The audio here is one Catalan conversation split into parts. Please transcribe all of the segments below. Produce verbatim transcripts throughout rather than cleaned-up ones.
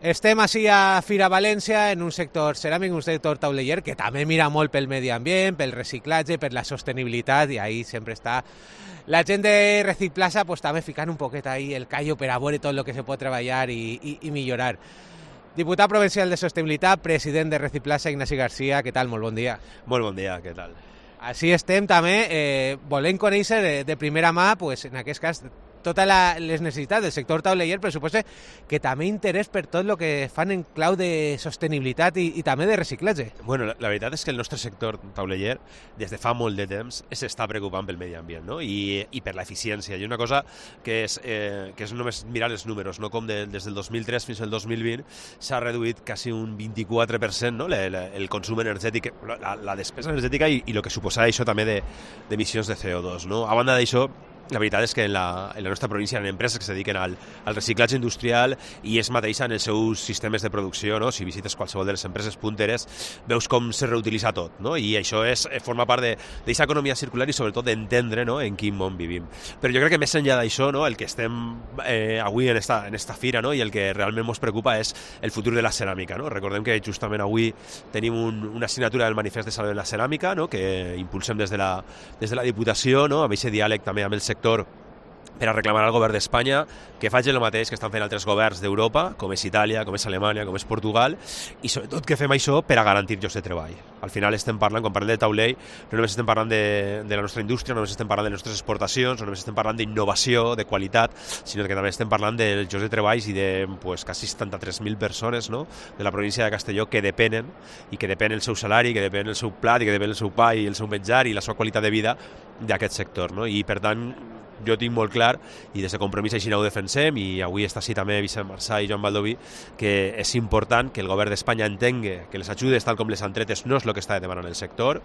Estem així a Fira València, en un sector ceràmic, un sector tauleller, que també mira molt pel medi ambient, pel reciclatge, per la sostenibilitat, i ahí sempre està la gent de Recicplaza, pues, també ficant un poquet ahí el callo per a veure tot el que se pot treballar i, i, i millorar. Diputat provincial de Sostenibilitat, president de Recicplaza, Ignasi Garcia, què tal? Molt bon dia. Molt bon dia, què tal? Així estem també, eh, volent conèixer de, de primera mà, pues, en aquest cas, totes les necessitats del sector tauleller, però suposo que també interès per tot el que fan en clau de sostenibilitat i, i també de reciclatge. Bueno, la, la veritat és que el nostre sector tauleller des de fa molt de temps s'està preocupant pel medi ambient, no? I, i per l'eficiència. I una cosa que és, eh, que és només mirar els números, no? Com de, des del dos mil tres fins al dos mil vint s'ha reduït quasi un vint-i-quatre per cent, no? Le, le, el consum energètic, la, la despesa energètica i, i el que suposava això també d'emissions de, de C O dos, no? A banda d'això, la veritat és que en la, en la nostra província hi ha empreses que es dediquen al, al reciclatge industrial i és mateixa en els seus sistemes de producció, no? Si visites qualsevol de les empreses punteres veus com se reutilitza tot, no? I això és, forma part d'aquesta economia circular i sobretot d'entendre, no? En quin món vivim. Però jo crec que més enllà d'això, no? El que estem eh, avui en esta, en esta fira, no? I el que realment ens preocupa és el futur de la ceràmica, no? Recordem que justament avui tenim un, una assignatura del manifest de Salve la Ceràmica, no? Que impulsem des de la, des de la Diputació, no? Amb aquest diàleg també amb el sector per a reclamar al govern d'Espanya que faci el mateix que estan fent altres governs d'Europa, com és Itàlia, com és Alemanya, com és Portugal, i sobretot que fem això per a garantir llocs de treball. Al final estem parlant, quan parlem de taulell, no només estem parlant de, de la nostra indústria, no només estem parlant de les nostres exportacions, no només estem parlant d'innovació, de qualitat, sinó que també estem parlant dels llocs de treball i de pues, quasi setanta-tres mil persones, no? De la província de Castelló que depenen, i que depèn el seu salari, que depèn el seu plat, i que depèn el seu pa i el seu menjar i la seva qualitat de vida d'aquest sector, no? I per tant, jo tinc molt clar, i des de Compromís així ho defensem, i avui està així també Vicent Marçà i Joan Baldoví, que és important que el govern d'Espanya entengui que les ajudes, tal com les han tretes, no és el que està demanant el sector,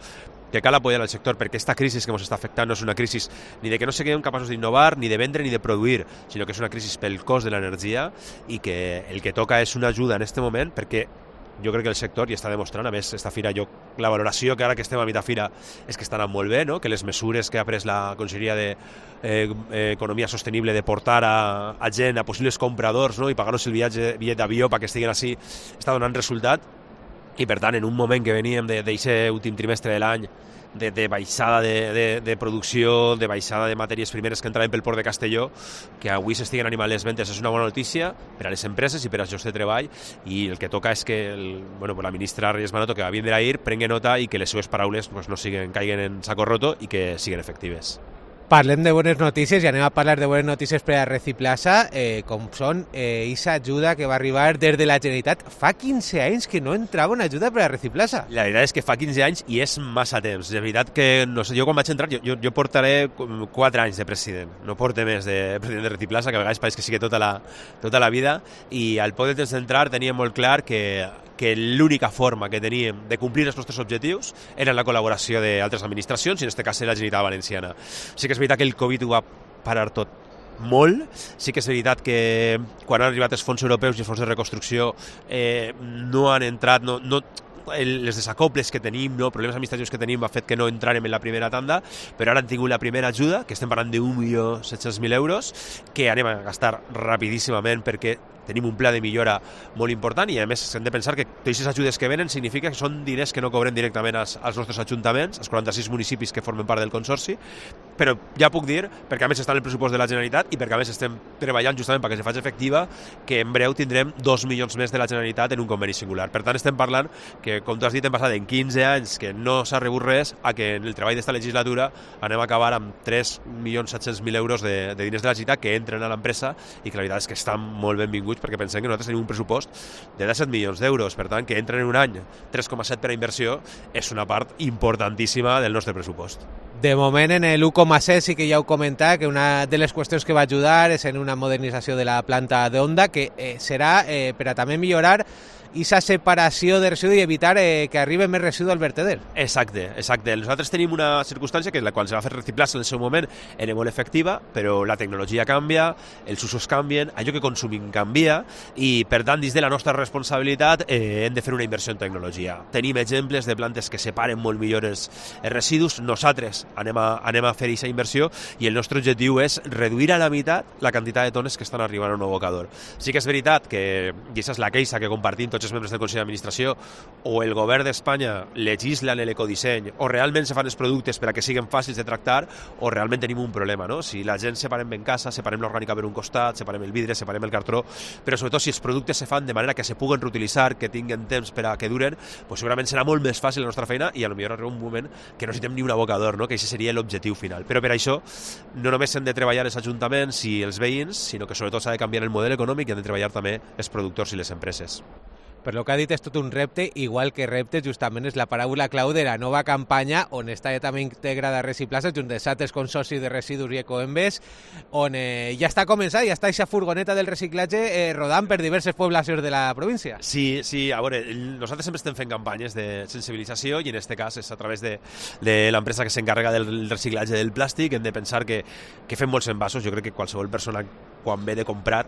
que cal apoyar el sector perquè aquesta crisi que ens està afectant no és una crisi ni de que no siguem capaços d'innovar, ni de vendre, ni de produir, sinó que és una crisi pel cost de l'energia i que el que toca és una ajuda en aquest moment perquè jo crec que el sector ja està demostrant, a més, esta fira, jo, la valoració que ara que estem a mitjà fira és que estan molt bé, no? Que les mesures que ha pres la Conselleria d'Economia eh, Sostenible de portar a, a gent, a possibles compradors, no? I pagar-los el viatge, bitllet d'avió perquè estiguin així, està donant resultat. I per tant, en un moment que veníem d'aquest últim trimestre de l'any de, de baixada de, de, de producció, de baixada de matèries primeres que entraven pel port de Castelló, que avui s'estiguen animant les ventes és una bona notícia per a les empreses i per als llocs de treball, i el que toca és que el, bueno, la ministra Reyes Maroto, que va vindre ahir, prengui nota i que les seves paraules pues, no siguen, caiguen en saco roto i que siguen efectives. Parlem de bones notícies i anem a parlar de bones notícies per a Recicplaza, eh, com són eh, aquesta ajuda que va arribar des de la Generalitat. Fa quinze anys que no entrava una ajuda per a Recicplaza. La veritat és que fa quinze anys i és massa temps. De veritat que, no sé, jo quan vaig entrar, jo, jo, jo portaré quatre anys de president, no porte més de president de Recicplaza, que a vegades pareix que sigui tota la, tota la vida, i al poc de temps d'entrar tenia molt clar que que l'única forma que teníem de complir els nostres objectius era la col·laboració d'altres administracions, i en aquest cas la Generalitat Valenciana. Sí que és veritat que el Covid ho va parar tot molt, sí que és veritat que quan han arribat els fons europeus i els fons de reconstrucció eh, no han entrat, no, no, les desacoples que tenim, no, problemes administratius que tenim ha fet que no entrarem en la primera tanda, però ara han tingut la primera ajuda, que estem parlant d'un milió set-cents mil euros, que anem a gastar rapidíssimament perquè tenim un pla de millora molt important, i a més hem de pensar que totes aquestes ajudes que venen significa que són diners que no cobrem directament als, als nostres ajuntaments, als quaranta-sis municipis que formen part del consorci, però ja puc dir, perquè a més està en el pressupost de la Generalitat i perquè a més estem treballant justament perquè se faci efectiva, que en breu tindrem dos milions més de la Generalitat en un conveni singular. Per tant, estem parlant que, com tu has dit, hem passat en quinze anys que no s'ha rebut res a que en el treball d'esta legislatura anem a acabar amb tres milions set-cents mil euros de, de diners de la Generalitat que entren a l'empresa i que la veritat és que estan molt benvinguts, perquè pensem que nosaltres tenim un pressupost de disset milions d'euros, per tant, que entren en un any tres coma set per a inversió és una part importantíssima del nostre pressupost. De moment, en l'u coma set sí que ja heu comentat que una de les qüestions que va ajudar és en una modernització de la planta d'Onda, que eh, serà eh, per a també millorar aquesta separació de residu i evitar eh, que arribi més residu al verteder. Exacte, exacte. Nosaltres tenim una circumstància que la quan se va fer Recicplaza en el seu moment era molt efectiva, però la tecnologia canvia, els usos canvien, allò que consumim canvia i, per tant, dins de la nostra responsabilitat eh, hem de fer una inversió en tecnologia. Tenim exemples de plantes que separen molt millor els, els residus. Nosaltres anem a, anem a fer aquesta inversió i el nostre objectiu és reduir a la meitat la quantitat de tones que estan arribant a un abocador. Sí que és veritat que, i aquesta és la queixa que compartim tots els membres del Consell d'Administració, o el govern d'Espanya legisla en l'ecodisseny, o realment se fan els productes per a que siguin fàcils de tractar, o realment tenim un problema, no? Si la gent separem ben casa, separem l'orgànica per un costat, separem el vidre, separem el cartró, però sobretot si els productes se fan de manera que se puguen reutilitzar, que tinguin temps per a que duren, pues segurament serà molt més fàcil la nostra feina i potser arriba un moment que no necessitem ni un abocador, no? Que aquest seria l'objectiu final. Però per això no només hem de treballar els ajuntaments i els veïns, sinó que sobretot s'ha de canviar el model econòmic i han de treballar també els productors i les empreses. Per lo que ha dit és tot un repte, igual que repte justament és la paraula clau de la nova campanya on està també integrada Recicplaza junt dels altres consorcis de residus i ecoembes, on eh, ja està començant, ja està aquesta furgoneta del reciclatge eh, rodant per diverses poblacions de la província. Sí, sí, a veure, nosaltres sempre estem fent campanyes de sensibilització i en aquest cas és a través de, de l'empresa que s'encarrega del reciclatge del plàstic. Hem de pensar que, que fem molts envasos. Jo crec que qualsevol persona quan ve de comprar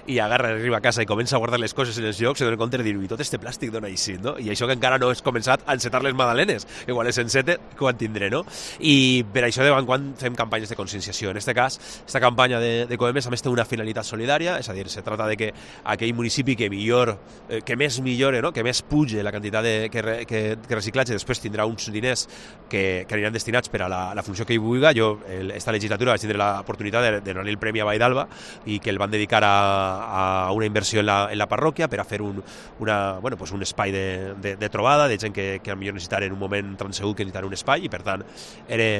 i agarra, arriba a casa i comença a guardar les coses en els llocs, se dona compte de dir, i tot este plàstic d'on així, no? I això que encara no has començat a encetar les magdalenes, igual és encete que ho tindré, no? I per això de quan en quan fem campanyes de conscienciació. En aquest cas, aquesta campanya de, de Coemes a més té una finalitat solidària, és a dir, se trata de que aquell municipi que millor, eh, que més millore, no? Que més puge la quantitat de, que, re, que, que reciclatge, després tindrà uns diners que, que aniran destinats per a la, la funció que hi vulgui. Jo, el, esta legislatura, vaig tindre l'oportunitat de, de donar el Premi a Vall d'Alba i que el van dedicar a, a una inversió en la, en la parròquia per a fer un, una, bueno, pues un espai de, de, de trobada de gent que, que potser necessitar en un moment transegut que necessitar un espai i per tant era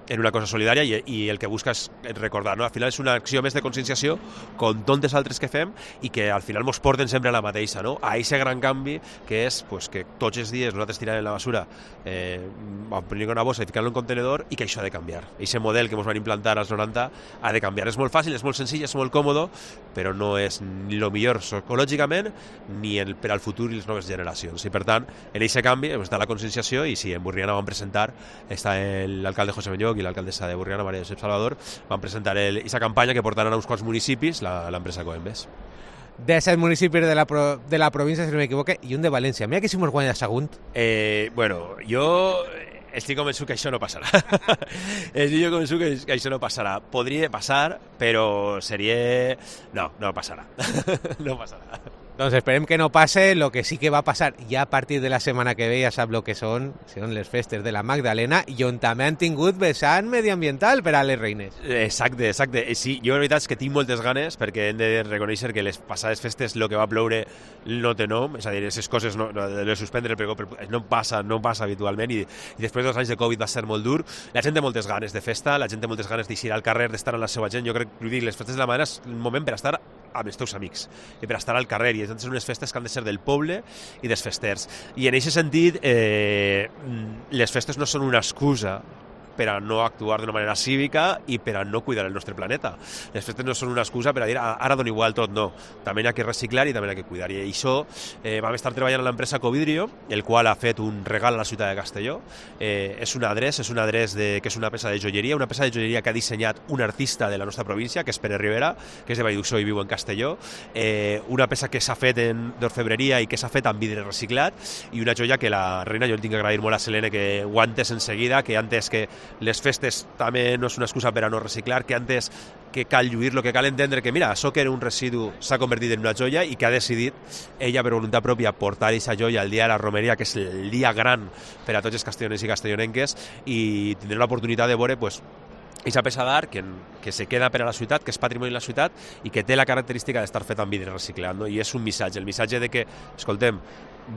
en una cosa solidària i, i el que busca és recordar, no? Al final és una acció més de conscienciació com tantes altres que fem i que al final ens porten sempre a la mateixa, no? A aquest gran canvi que és pues, que tots els dies nosaltres tirem la basura eh, prendre una bossa i ficar-la en un contenedor i que això ha de canviar. Aquest model que ens van implantar als noranta ha de canviar. És molt fàcil, és molt senzill, és molt còmode, però no és ni el millor psicològicament ni el, per al futur i les noves generacions. I per tant, en aquest canvi està la conscienciació i sí, en Burriana vam presentar, està l'alcalde José Benlloc i l'alcaldessa de Burriana, María Josep Salvador, van presentar aquesta campanya que portaran a uns quants municipis l'empresa Coembes. De set municipis de la, pro, de la província, si no m'equivoque, i un de València. Mira que si mos guanya segon. Eh, bueno, jo estic convençut que això no passarà. estic convençut que, que això no passarà. Podria passar, però seria... No, no passarà. no passarà. Doncs esperem que no passe. Lo que sí que va passar ja a partir de la setmana que ve, ja sap lo que són, són les festes de la Magdalena i on també han tingut vessant mediambiental per a les reines. Exacte, exacte. Sí, jo la veritat és que tinc moltes ganes perquè hem de reconèixer que les passades festes el que va ploure no té nom, és a dir, aquestes coses no, no, de suspendre el pregó no passa, no passa habitualment i, i després dels anys de Covid va ser molt dur. La gent té moltes ganes de festa, la gent té moltes ganes d'eixir al carrer, d'estar amb la seva gent. Jo crec que les festes de la Magdalena és un moment per estar amb els teus amics i per estar al carrer i són unes festes que han de ser del poble i dels festers i en aquest sentit eh, les festes no són una excusa per a no actuar d'una manera cívica i per a no cuidar el nostre planeta. Les festes no són una excusa per a dir ara dona igual tot, no. També hi ha que reciclar i també hi ha que cuidar. I això eh, vam estar treballant amb l'empresa Covidrio, el qual ha fet un regal a la ciutat de Castelló. Eh, és un adreç, és un adreç de, que és una peça de joieria, una peça de joieria que ha dissenyat un artista de la nostra província, que és Pere Rivera, que és de Vallduxó i viu en Castelló. Eh, una peça que s'ha fet en d'orfebreria i que s'ha fet amb vidre reciclat i una joia que la reina, jo li tinc que agrair molt a Selene que ho ha entès en seguida, que ha entès que les festes també no és una excusa per a no reciclar, que antes que cal lluir-lo, que cal entendre que, mira, això que era un residu s'ha convertit en una joia i que ha decidit ella per voluntat pròpia portar aquesta joia al dia de la romeria, que és el dia gran per a tots els castellonencs i castellonenques, i tindrem l'oportunitat de veure pues, aquesta peça d'art que, que se queda per a la ciutat, que és patrimoni de la ciutat i que té la característica d'estar fet amb vidre reciclat, no? I és un missatge, el missatge de que, escoltem,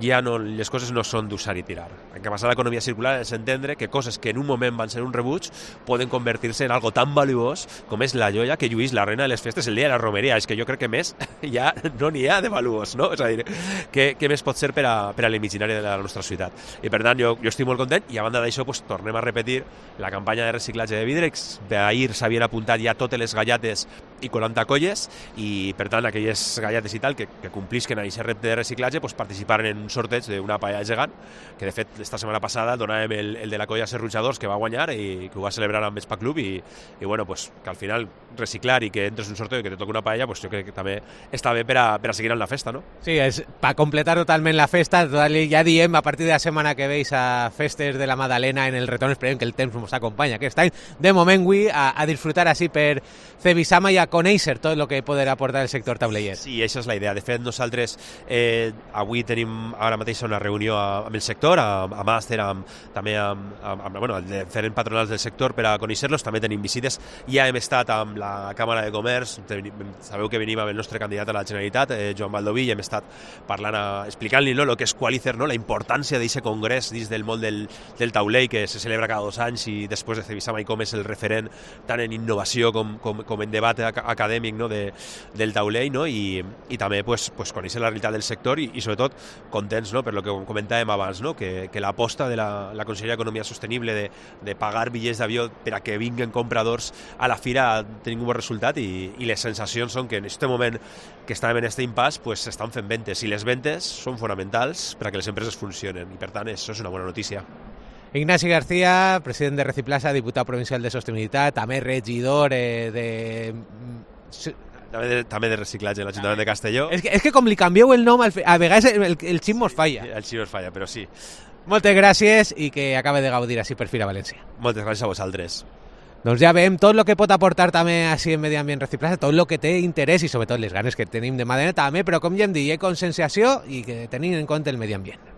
ja no, les coses no són d'usar i tirar. El que passa a l'economia circular és entendre que coses que en un moment van ser un rebuig poden convertir-se en algo tan valuós com és la joia que lluís la reina de les festes el dia de la romeria. És que jo crec que més ja no n'hi ha de valuós, no? És a dir, què, què més pot ser per a, per a l'imaginari de la nostra ciutat? I per tant, jo, jo estic molt content i a banda d'això pues, tornem a repetir la campanya de reciclatge de vidre. Ahir s'havien apuntat ja totes les gallates i quaranta colles, i per tant aquelles galletes i tal que, que complisquen a aquest repte de reciclatge pues, participaren en un sorteig d'una paella gegant, que de fet esta setmana passada donàvem el, el de la colla Serrutjadors, que va guanyar i que ho va celebrar amb Spa Club, i, i bueno, pues, que al final reciclar i que entres en un sorteo i que te toqui una paella, pues, jo crec que també està bé per a, per a seguir en la festa, no? Sí, és per completar totalment la festa, total, ja diem, a partir de la setmana que veis a festes de la Madalena en el retorn, esperem que el temps ens acompanya aquest any, de moment avui a, a disfrutar així per Cebisama i a conèixer tot el que podrà aportar el sector tauleller. Sí, això és la idea. De fet, nosaltres eh, avui tenim ara mateix una reunió amb el sector, amb, amb Màster, amb, també amb, amb, amb bueno, els diferents patronals del sector per a conèixer-los. També tenim visites. Ja hem estat amb la Càmera de Comerç, sabeu que venim amb el nostre candidat a la Generalitat, eh, Joan Baldoví, i hem estat parlant, explicant-li no, el que és Qualicer, no, la importància d'aquest congrés dins del món del, del taulell que se celebra cada dos anys, i després de Cebisama i com és el referent tant en innovació com, com, com en debat acadèmic, no, de, del taulell, no? I, i també pues, pues, conèixer la realitat del sector i, i sobretot contents, no? Per lo que comentàvem abans, no? que, que l'aposta de la, la Conselleria d'Economia Sostenible de, de pagar bitllets d'avió per a que vinguen compradors a la fira ha tingut un bon resultat, i, i les sensacions són que en aquest moment que estàvem en aquest impàs pues, s'estan fent ventes, i les ventes són fonamentals per a que les empreses funcionen, i per tant això és una bona notícia. Ignasi García, president de Reciplasa, diputat provincial de Sostenibilitat, també regidor eh, de... També de, també de reciclatge en l'Ajuntament de Castelló. És que, és que com li canvieu el nom, a vegades el, el xip mos falla. El xip mos falla, però sí. Moltes gràcies i que acabe de gaudir així per Fira València. Moltes gràcies a vosaltres. Doncs ja veiem tot el que pot aportar també així en Medi Ambient Reciplasa, tot el que té interès i sobretot les ganes que tenim de Madalena també, però com ja hem dit, hi ha conscienciació i que tenim en compte el medi ambient.